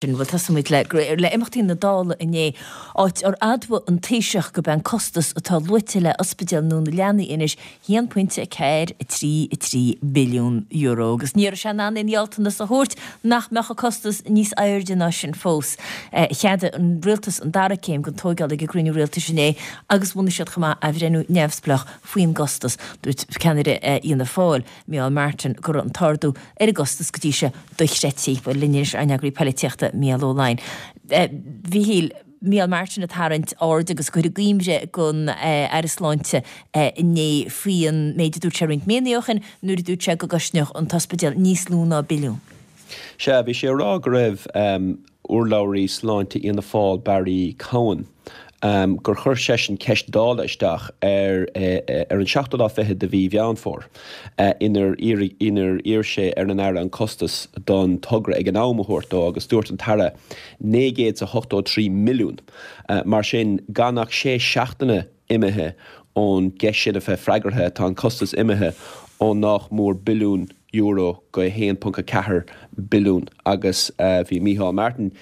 Bhuel, tosóimid le le imeachtaí na Dála inné, áit ar admhaigh an Taoiseach gurb é an costas atá luaite le ospidéal nua na leanaí anois €1.433 billiún. Agus ní raibh sé in ann aon ghealltanas a thabhairt nach mbeadh an costas níos airde ná sin fós. Cheadaigh an Rialtas an dara céim den tóigeáil ag an gcruinniú rialtais inné agus bhunaigh siad chomh maith athbhreithniú neamhspleách faoin gcostas. Dúirt ceannaire Fhianna Fáil, Micheál Martin, go raibh an t-ardú ar an gcostas go dtí seo dochreidte. Bhuel, linn anois ár n-eagraí poilitíochta, Mícheál Ó Laighin. A Mhíchíl, Micheál Martin ag tarraingt aird agus ag cur i gcuimhne don Aire Sláinte inné faoi an méid a dúirt sé roinnt míonna ó shin nuair a dúirt sé go gcosnódh an t-ospidéal níos lú ná billiún. Sea, bhí sé ag rá go raibh urlabhraí sláinte Fhianna Fáil Barry Cowen, gur chuir seisean ceist Dála isteach ar ar an seachtú lá fichead de mhí Mheán Fómhair inar inar iarr sé ar an Aire an costas don togra ag an am a thabhairt dó agus dúirt an tAire 983 milliún. Mar sin, gan ach sé seachtaine imithe ón gceist sin a bheith freagartha, tá an costas imithe ó nách mór billiún euro go 1.4 billiún agus bhí Micheál Martin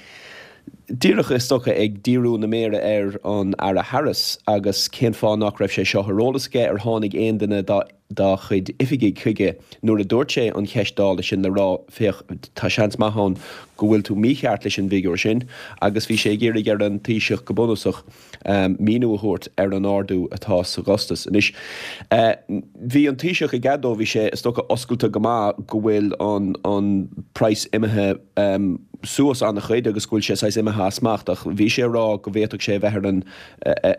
díreach is dócha ag díriú na méire ar an Aire Harris agus cén fáth nach raibh sé seo ar eolas aige, ar tháinig aon duine dá dá chuid oifigigh chuige nuair a dúirt sé an cheist Dála sin le rá féach tá seans maith ann go bhfuil tú mícheart leis an bhfigiúr sin agus bhí sé ag iarraidh ar an Taoiseach go bunúsach míniú a thabhairt ar an ardú atá sa gcostas. Anois, bhí an Taoiseach ag admháil, bhí sé, is dócha, oscailte go maith go bhfuil an an praghas imithe suas an-chuid agus go bhfuil sé saghas imithe as smacht ach bhí sé ag rá go bhféadfadh sé a bheith ar an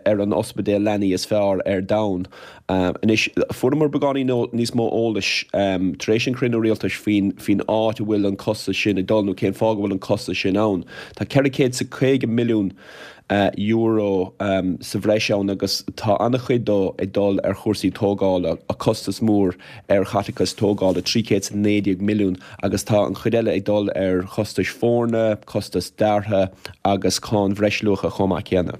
ar an ospidéal leanaí is fearr ar domhan. Anois, fuaireamar beagáinín níos mó eolais tar éis an chruinniú rialtais faoin faoin áit a bhfuil an costas sin ag dul nó cén fáth go bhfuil an costas sin ann. Tá 450 milliún euro sa bhreis ann agus tá an-chuid dó ag dul ar chúrsaí tógála, costas mór ar chaiteachas tógála, 319 milliún, agus tá an chuid eile ag dul ar chostais foirne, costas deartha agus cáin bhreisluacha chomh maith céanna.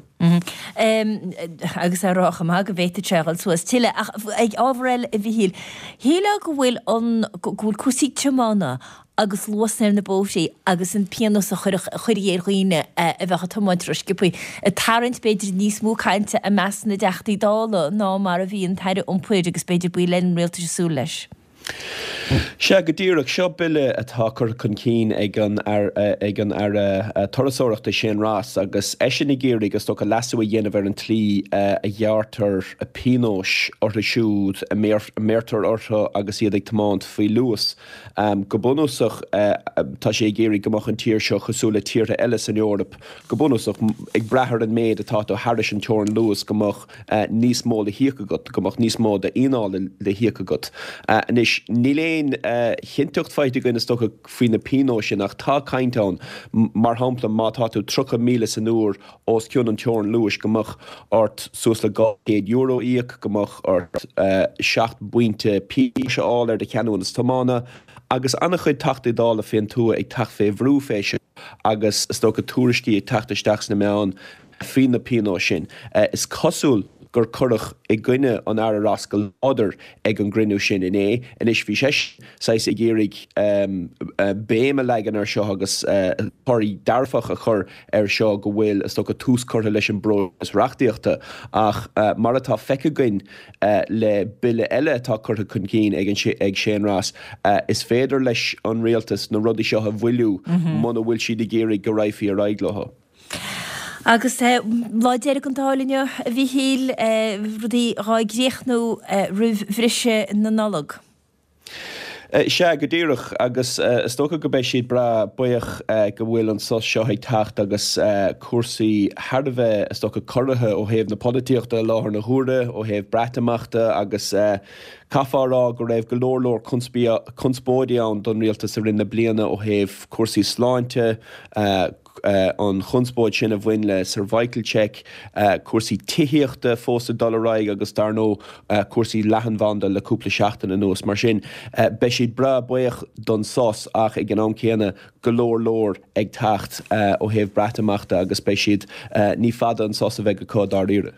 Agus á rá chomh maith go bhféadfadh sé a dhul suas tuilleadh. Ach ag ábhar eile, a Mhichíl, shílfeá go bhfuil an, go bhfuil cúrsaí tiomána agus luasanna ar na bóithrí agus an pionós a chuirfí ar dhaoine a bheadh ag tiomáint rósciobtha, ag tarraingt b'fhéidir níos mó cainte i measc na dTeachtaí Dála ná mar a bhí an tAire Iompair agus b'fhéidir baill eile an rialtais ag súil leis. Sea, go díreach. Seo bille atá curtha chun cinn ag an ag an Aire Turasóireachta Shane Ross agus eisean ag iarraidh, is dócha, leasú a dhéanamh ar an tslí a ghearrtar pionóis orthu siúd a mbeirtear orthu agus iad ag tiomáint faoi luas. Go bunúsach, tá sé ag iarraidh go mbeadh an tír seo cosúil le tíortha eile san Eoraip, go bunúsach, ag brath ar an méid atá tú thairis an teorainn luais, go mbeadh níos mó le híoc agat, go mbeadh níos mó d'fhíneáil le híoc agat. Anois, níl aon chinnteacht faighte againn, is dócha, faoi na pionóis sin ach tá caint ann, mar shampla, má tá tú 30 míle san uair os cionn an teorainn luais, go mbeadh ort suas le €200 a íoc, go mbeadh ort 7 bpointe pionóis a fháil ar do cheadúnas tiomána, agus an-chuid Teachtaí Dála fén tuath ag teacht fé bhrú fé seo agus is dócha tuairiscí ag teacht isteach sna meáin faoi na pionóis sin. Is cosúil gur cuireadh i gcoinne an Aire Ross go láidir ag an gcruinniú sin inné. Anois bhí seisean saghas ag iarraidh béim a leagan ar seo agus toradh dearfach a chur air seo go bhfuil, is dócha, tús curtha leis an bpróiseas reachtaíochta ach mar atá feicthe againn le bille eile atá curtha chun cinn ag ag Shane Ross, is féidir leis an rialtas na rudaí seo a mhoilliú muna bhfuil siad ag iarraidh go raghfaí ar aghaidh leo. Agus lá deiridh den Dáil inniu, a Mhichíl, rudaí dhá gcríochnú roimh bhriseadh na Nollag. Sea, go díreach, agus is dócha go mbeidh siad breá buíoch go bhfuil an sos seo ag teacht agus cúrsaí thar a bheith, is dócha, corraithe ó thaobh na polaitíochta i láthair na huaire, ó thaobh Breatimeachta agus caithfeá a rá go raibh go leor leor conspóidí ann don rialtas i rith na bliana ó thaobh cúrsaí sláinte, an chonspóid sin a bhain le cervical check, cúrsaí tithíochta fós ag dul ar aghaidh agus dar ndóigh cúrsaí leathanbhanda le cúpla seachtain anuas. Mar sin, beidh siad breá buíoch don sos ach ag an am céanna go leor leor ag teacht ó thaobh Breatimeachta agus beidh siad, ní fada an sos a bheidh acu dáiríre.